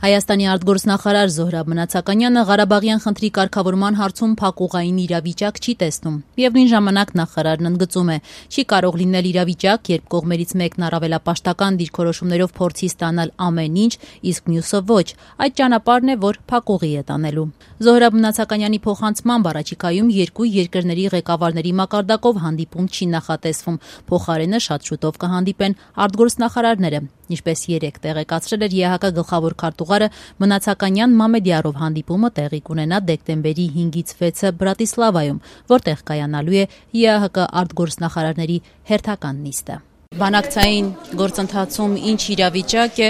Հայաստանի արտգործնախարար Զոհրաբ Մնացականյանը Ղարաբաղյան խնդրի կարգավորման հարցում փակուղային իրավիճակ չի տեսնում։ Միևնույն ժամանակ նախարարն ընդգծում է, չի կարող լինել իրավիճակ, երբ կողմերից մեկն առավելապաշտական դիրքորոշումներով փորձի ստանալ ամեն ինչ, իսկ մյուսը ոչ։ Այդ ճանապարհն է, որ փակուղի է տանելու։ Զոհրաբ Մնացականյանի փոխանցմամբ առաջիկայում երկու երկրների ղեկավարների մակարդակով հանդիպում չի նախատեսվում։ Փոխարենը շատ շուտով կհանդիպեն արտգործնախարարները, ինչպես երեկ տեղեկացրել էր ԵԱՀԿ գլխավոր քարտուղարը, Մնացականյան Մամեդյարով հանդիպումը տեղի կունենա դեկտեմբերի 5-ից 6-ը Բրատիսլավայում, որտեղ կայանալու է ԵԱՀԿ արտգործնախարարների հերթական նիստը։ Բանակցային գործընթացում ինչ իրավիճակ է,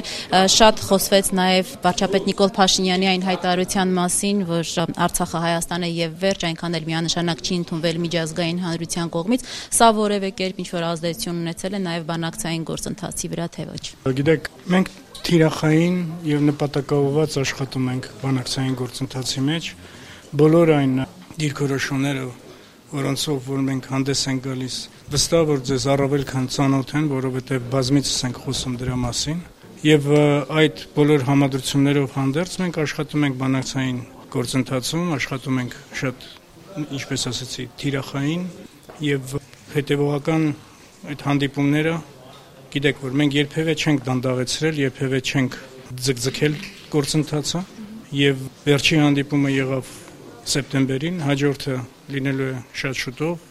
շատ խոսվեց նաև վարչապետ Նիկոլ Փաշինյանի այն հայտարարության մասին, որ Արցախը Հայաստան է եւ վերջ, այնքան էլ միանշանակ չի ընդունվել միջազգային հանրության կողմից, սա որևէ կերպ ինչ-որ ազդեցություն ունեցել է նաև բանակցային գործընթացի վրա, թե ոչ։ Գիտեք, մենք թիրախային եւ նպատակաուղղված աշխատում ենք բանակցային գործընթացի մեջ, բոլոր այն դիրքորոշումները, որոնցով որ մենք հանդես ենք գալիս, վստահ որ ձեզ առավել քան ծանոթ են, որովհետև բազմիցս ենք խոսում դրա մասին, եւ այդ բոլոր համադրություններով հանդերձ մենք աշխատում ենք բանակցային գործընթացում, աշխատում ենք շատ, ինչպես ասացի, թիրախային եւ հետեւողական այդ հանդիպումները, գիտեք, որ մենք երբևէ չենք դանդաղեցրել, երբևէ չենք ձգձգել գործընթացը եւ վերջի հանդիպումը եղավ սեպտեմբերին, հաջորդը լինելու է շատ շուտով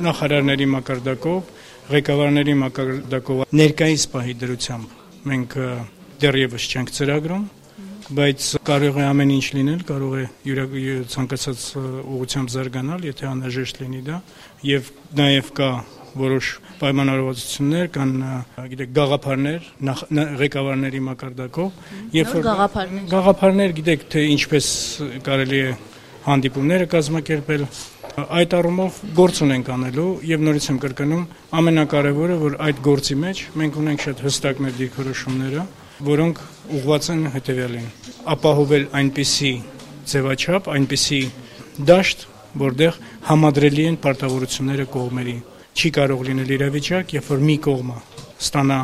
նախարարների մակարդակով, ղեկավարների մակարդակով, ներկայիս պահի դրությամբ մենք դեռևս չենք ծրագրում, բայց կարող է ամեն ինչ լինել, կարող է ցանկացած ուղղությամբ զարգանալ, եթե անհրաժեշտ լինի դա, եւ նաեւ կա որոշ պայմանավորվածություններ կան, գիտեք, գաղափարներ ղեկավարների մակարդակով, երբ որ գաղափարներ, գիտեք, թե ինչպես կարելի է հանդիպումները կազմակերպել, այդ առումով գործ ունենք անելու եւ նորից եմ կրկնում, ամենակարևորը, որ այդ գործի մեջ մենք ունենք շատ հստակ մեր դիրքորոշումները, որոնք ուղղված են հետեւյալին. ապահովել այնպիսի ձևաչափ, այնպիսի դաշտ, որտեղ համադրելի են պարտավորությունները կողմերի։ Չի կարող լինել իրավիճակ, երբ որ մի կողմը ստանա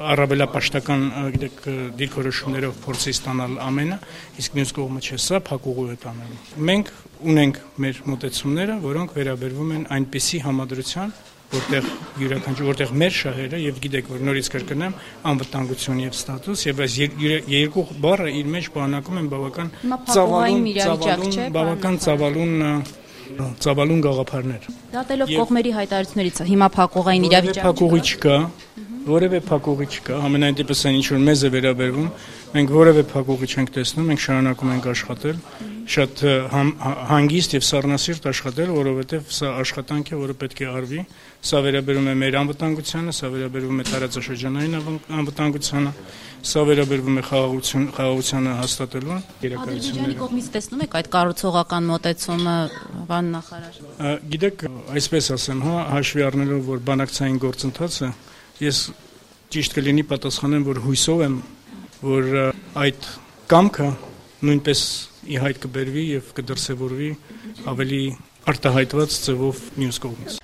առավելապաշտական, գիտեք, դիրքորոշումներով փորձի ստանալ ամենը, իսկ մյուս կողմը չէ, սա փակուղու է տանելու։ Մենք ունենք մեր մոտեցումները, որոնք վերաբերվում են այնպիսի համադրության, որտեղ մեր շահերը եւ գիտեք, որ նորից կրկնեմ, անվտանգություն եւ ստատուս եւ այս երկու բառը իր մեջ բանակում են բավական ծավալուն գաղափարներ։ Դատելով կողմերի հայտարարություններից, հիմա փակուղային իրավիճակ որևէ փակուղի չկա, ամենայն դեպս այն ինչ որ մեզ է վերաբերվում, մենք որևէ փակուղի չենք տեսնում, մենք շարունակում ենք աշխատել, շատ հանգիստ եւ սառնասիրտ աշխատել, որովհետեւ սա աշխատանք է, որը պետք է արվի, սա վերաբերում է մեր անվտանգությանը, սա վերաբերում է տարածաշրջանային անվտանգությանը, սա վերաբերվում է խաղաղությանը հաստատելու Ադրբեջանի կողմից տեսնում եք այդ կառուցողական մոտեցումը, պարոն նախարար։ Գիտեք, այսպես ասեմ, հաշվի առնելով, որ բանակցային գործընթացը, ես ճիշտ կլինի պատասխանեմ, որ հույսով եմ, որ այդ կամքը նույնպես ի հայտ կբերվի եւ կդրսեւորվի ավելի արտահայտված ձևով մյուս կողմից։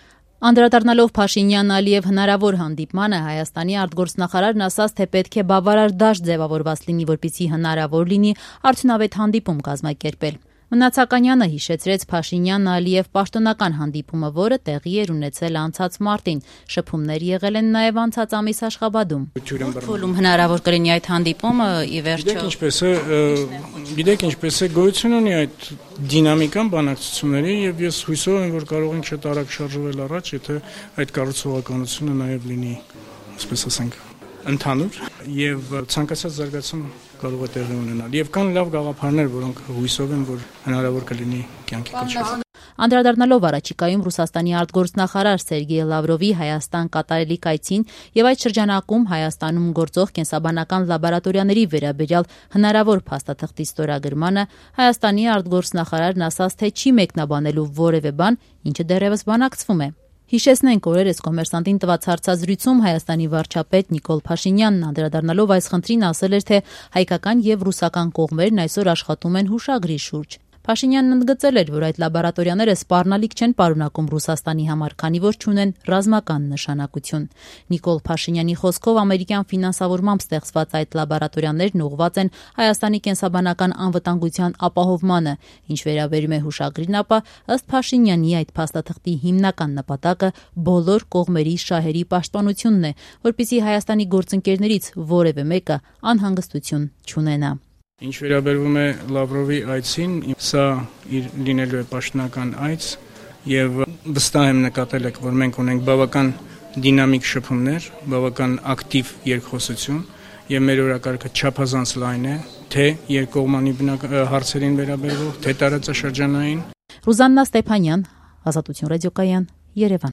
Անդրադառնալով Փաշինյան-Ալիև հնարավոր հանդիպմանը, Հայաստանի արտգործնախարարն ասաց, թե պետք է բավարար դաշտ ձևավորված լինի, որպեսզի հնարավոր լինի արդյունավետ հանդիպում կազմակերպել։ Մնացականյանը հիշեցրեց Փաշինյան-Ալիև պաշտոնական հանդիպումը, որը տեղի էր ունեցել անցած մարտին։ Շփումներ եղել են նաև անցած ամիս Աշխաբադում։ Որում հնարավոր կլինի այդ հանդիպումը ի վերջո։ Գիտեք ինչպես է գոյություն ունի այդ դինամիկան բանակցությունների եւ ես հույսով եմ, որ կարող ենք շատ արագ շարժվել առաջ, եթե այդ կառուցողականությունը նաև լինի, ասես ասենք, ընդհանուր եւ ցանկացած զարգացում կարող է տեղի ունենալ եւ կան լավ գաղափարներ, որոնք հույսով են, որ հնարավոր կլինի կյանքի կոչել։ Անդրադառնալով առաջիկայում Ռուսաստանի արտգործնախարար Սերգեյ Լավրովի Հայաստան կատարելիք այցին եւ այդ շրջանակում Հայաստանում գործող կենսաբանական լաբորատորիաների վերաբերյալ հնարավոր փաստաթղթի ստորագրմանը, Հայաստանի արտգործնախարարն ասաց, թե չի մեկնաբանելու որևէ բան, ինչը դեռևս բանակցվում է։ Հիշեցնենք, օրերս Կոմերսանտին տված հարցազրույցում Հայաստանի վարչապետ Նիկոլ Փաշինյանն անդրադառնալով այս խնդրին ասել էր, թե հայկական եւ ռուսական կողմերն այսօր աշխատում են հուշագրի շուրջ։ Փաշինյանն ընդգծել էր, որ այդ լաբորատորիաները սպառնալիք չեն պարունակում Ռուսաստանի համար, քանի որ չունեն ռազմական նշանակություն։ Նիկոլ Փաշինյանի խոսքով ամերիկյան ֆինանսավորմամբ ստեղծված այդ լաբորատորիաներն ուղղված են Հայաստանի կենսաբանական անվտանգության ապահովմանը։ Ինչ վերաբերում է հուշագրին, ապա ըստ Փաշինյանի այդ փաստաթղթի հիմնական նպատակը բոլոր կողմերի շահերի պաշտպանությունն է, որպեսզի Հայաստանի գործընկերներից որևէ մեկը անհանգստություն չունենա։ Ինչ վերաբերում է Լավրովի այցին, սա իր լինելու է պաշտոնական այց եւ վստահ եմ նկատել եք, որ մենք ունենք բավական դինամիկ շփումներ, բավական ակտիվ երկխոսություն եւ մեր օրակարգը չափազանց լայն է, թե երկկողմանի հարցերին վերաբերող, թե տարածաշրջանային։ Ռուզաննա Ստեփանյան, Ազատություն ռադիոկայան, Երևան։